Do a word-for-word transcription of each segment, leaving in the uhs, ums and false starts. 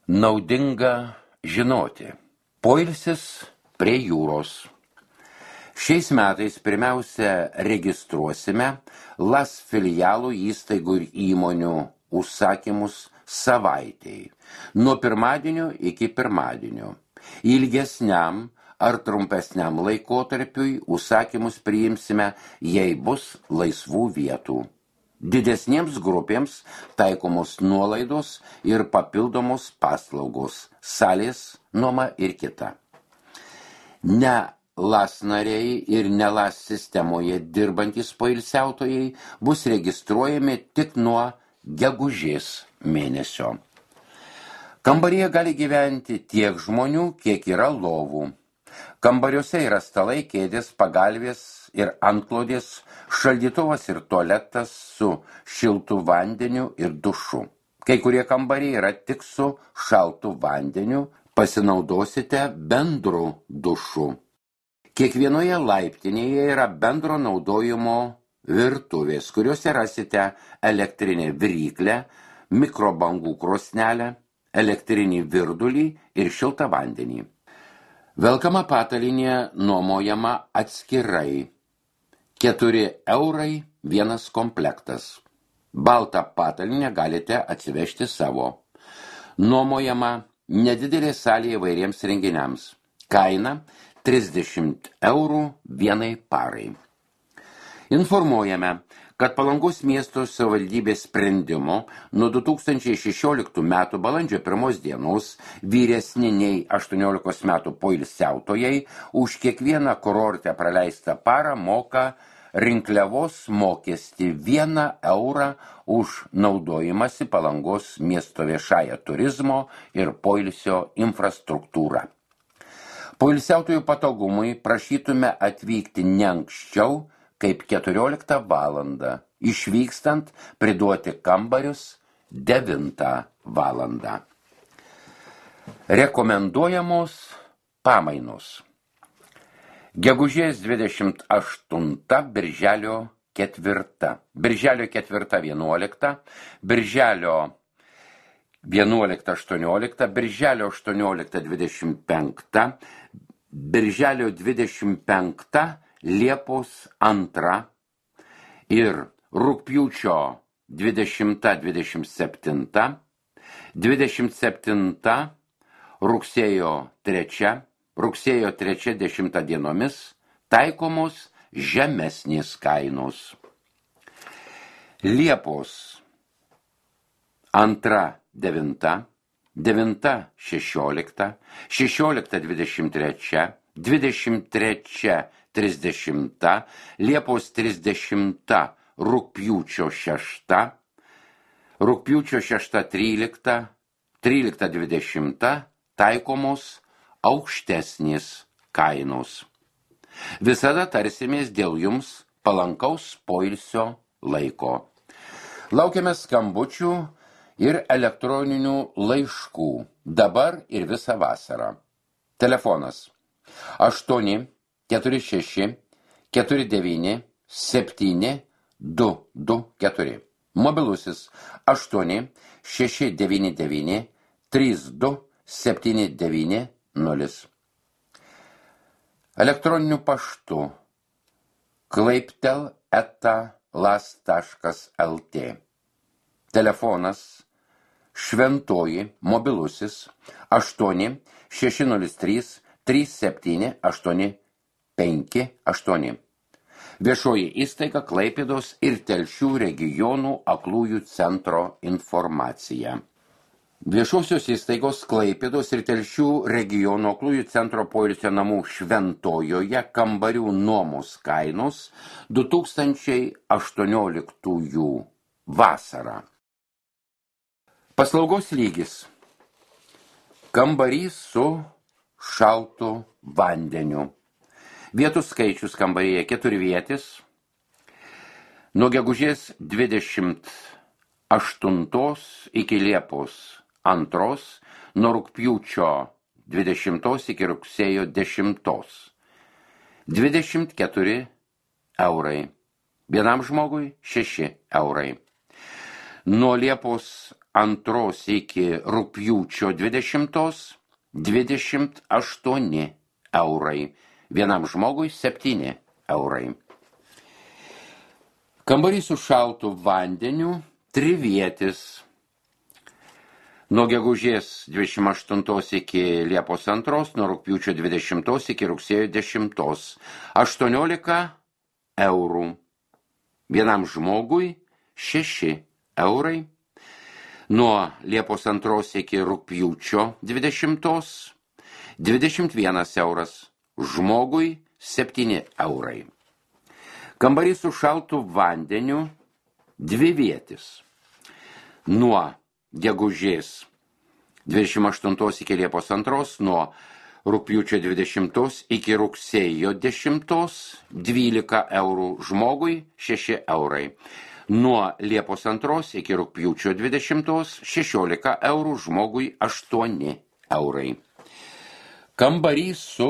Naudinga žinoti. Poilsis prie jūros. Šiais metais pirmiausia registruosime LAS filialų įstaigų ir įmonių užsakymus savaitei, nuo pirmadienio iki pirmadienio. Ilgesniam ar trumpesniam laikotarpiui užsakymus priimsime, jei bus laisvų vietų. Didesniems grupėms taikomos nuolaidos ir papildomos paslaugos, salės, nuoma ir kita. Ne LAS nariai ir ne LAS sistemoje dirbantys poilsiautojai bus registruojami tik nuo gegužės mėnesio. Kambaryje gali gyventi tiek žmonių, kiek yra lovų. Kambariuose yra stalai, kėdės, pagalvės ir antklodės, šaldytuvas ir tualetas su šiltu vandeniu ir dušu. Kai kurie kambariai yra tik su šaltu vandeniu, pasinaudosite bendru dušu. Kiekvienoje laiptinėje yra bendro naudojimo virtuvės, kuriuose rasite elektrinę viryklę, mikrobangų krosnelę, elektrinį virdulį ir šiltą vandenį. Velkama patalynė nuomojama atskirai. Keturi eurai vienas komplektas. Baltą patalynę galite atsivežti savo. Nuomojama nedidelė salė įvairiems renginiams. Kaina trisdešimt eurų vienai parai. Informuojame, kad Palangos miesto savivaldybės sprendimo nuo du tūkstančiai šešioliktų metų balandžio pirmos dienos vyresni nei aštuoniolikos metų poilsiautojai už kiekvieną kurorte praleistą parą moka rinkliavos mokestį vieną eurą už naudojimąsi Palangos miesto viešąją turizmo ir poilsio infrastruktūrą. Poilsiautojų patogumui prašytume atvykti ne anksčiau kaip keturioliktą valandą, išvykstant priduoti kambarius devintą valandą. Rekomenduojamos pamainos. Gegužės dvidešimt aštunta, birželio ketvirta. Birželio ketvirta vienuolikta, birželio vienuolikta aštuoniolikta, birželio aštuoniolikta dvidešimt penkta, birželio dvidešimt penkta, Liepos antra ir rugpjūčio dvidešimta dvidešimt septinta, dvidešimt septinta rugsėjo trečia, rugsėjo trečia dešimta dienomis taikomos žemesnės kainos. Liepos antra devinta, devinta šešiolikta, šešiolikta dvidešimt trečia, dvidešimt trečia trisdešimta, Liepos trisdešimta rugpjūčio šešta, rugpjūčio šešta trylikta, trylikta dvidešimta taikomos aukštesnės kainos. Visada tarsimės dėl jums palankaus poilsio laiko. Laukiame skambučių ir elektroninių laiškų dabar ir visą vasarą. Telefonas aštuoni keturi šeši keturi devyni septyni du du keturi. Mobilusis aštuoni šeši devyni devyni trys du septyni devyni nulis. Elektroniniu paštu klaiptel eta las taškas lt. Telefonas Šventoji mobilusis aštuoni šeši nulis trys trys septyni aštuoni penki aštuoni. Viešoji įstaiga Klaipėdos ir Telšių regionų aklųjų centro informacija. Viešosios įstaigos Klaipėdos ir Telšių regionų aklųjų centro poilsio namų Šventojoje kambarių nuomos kainos du tūkstančiai aštuonioliktųjų vasarą. Paslaugos lygis. Kambarys su šaltu vandeniu. Vietų skaičius kambaryje keturvietis. Nuo gegužės dvidešimt aštuntos iki Liepos antros, nuo rugpjūčio dvidešimtos iki rugsėjo dešimtos. dvidešimt keturi eurai. Vienam žmogui šeši eurai. Nuo Liepos antros iki rugpjūčio dvidešimtos dvidešimt aštuoni eurai. Vienam žmogui septyni eurai. Kambarys su šaltu vandeniu trivietis. Nuo gegužės dvidešimt aštuntos iki Liepos antros, nuo rugpjūčio dvidešimtos iki rugsėjo dešimtos. aštuoniolika eurų. Vienam žmogui šeši eurai. Nuo Liepos antros iki rugpjūčio dvidešimtos dvidešimt vienas euras. Žmogui septyni eurai. Kambarys su šaltu vandeniu dvivietis. Nuo gegužės dvidešimt aštuntos iki Liepos antros, nuo rugpjūčio dvidešimtos iki rugsėjo dešimtos dvylika eurų. Žmogui šeši eurai. Nuo Liepos antros iki rugpjūčio dvidešimtos šešiolika eurų. Žmogui aštuoni eurai. Kambarys su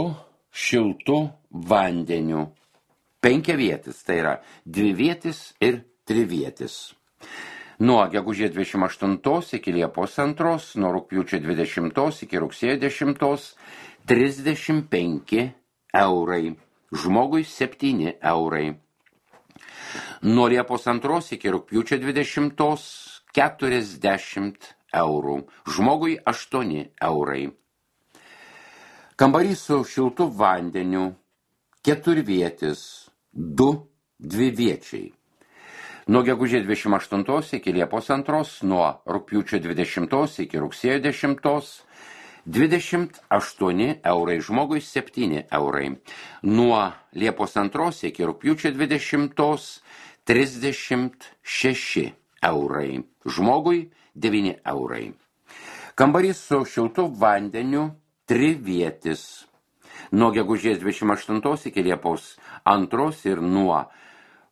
šiltu vandeniu penkiavietis, tai yra dvivietis ir trivietis. Nuo gegužės dvidešimt aštuntos iki Liepos antros, nuo rugpjūčio dvidešimtos iki rugsėjo dešimtos trisdešimt penki eurai. Žmogui septyni eurai. Nuo Liepos antros iki rugpjūčio dvidešimtos keturiasdešimt eurų. Žmogui aštuoni eurai. Kambarys su šiltu vandeniu keturvietis, du dviviečiai. Nuo gegužės dvidešimt aštuntos iki Liepos antros, nuo rugpjūčio dvidešimtos iki rugsėjo dešimtos dvidešimt aštuoni eurai. Žmogui septyni eurai. Nuo Liepos antros iki rugpjūčio dvidešimtos trisdešimt šeši eurai. Žmogui devyni eurai. Kambarys su šiltu vandeniu trivietis. Nuo gegužės dvidešimt aštuntos iki Liepos antros ir nuo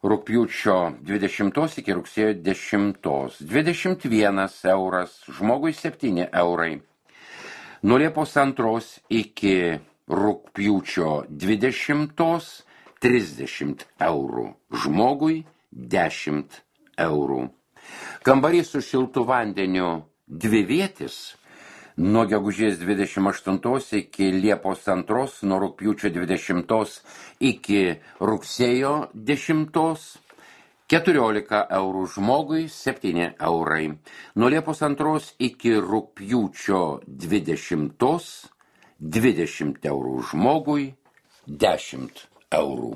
rugpjūčio dvidešimtos iki rugsėjo dešimtos dvidešimt vienas euras. Žmogui septyni eurai. Nuo Liepos antros iki rugpjūčio dvidešimtos trisdešimt eurų. Žmogui dešimt eurų. Kambarys su šiltu vandeniu dvivietis. Nuo gegužės dvidešimt aštuntos iki Liepos antros, nuo rugpjūčio dvidešimtos iki rugsėjo dešimtos keturiolika eurų. Žmogui septyni eurai. Nuo Liepos antros iki rugpjūčio dvidešimtos dvidešimt eurų. Žmogui dešimt eurų.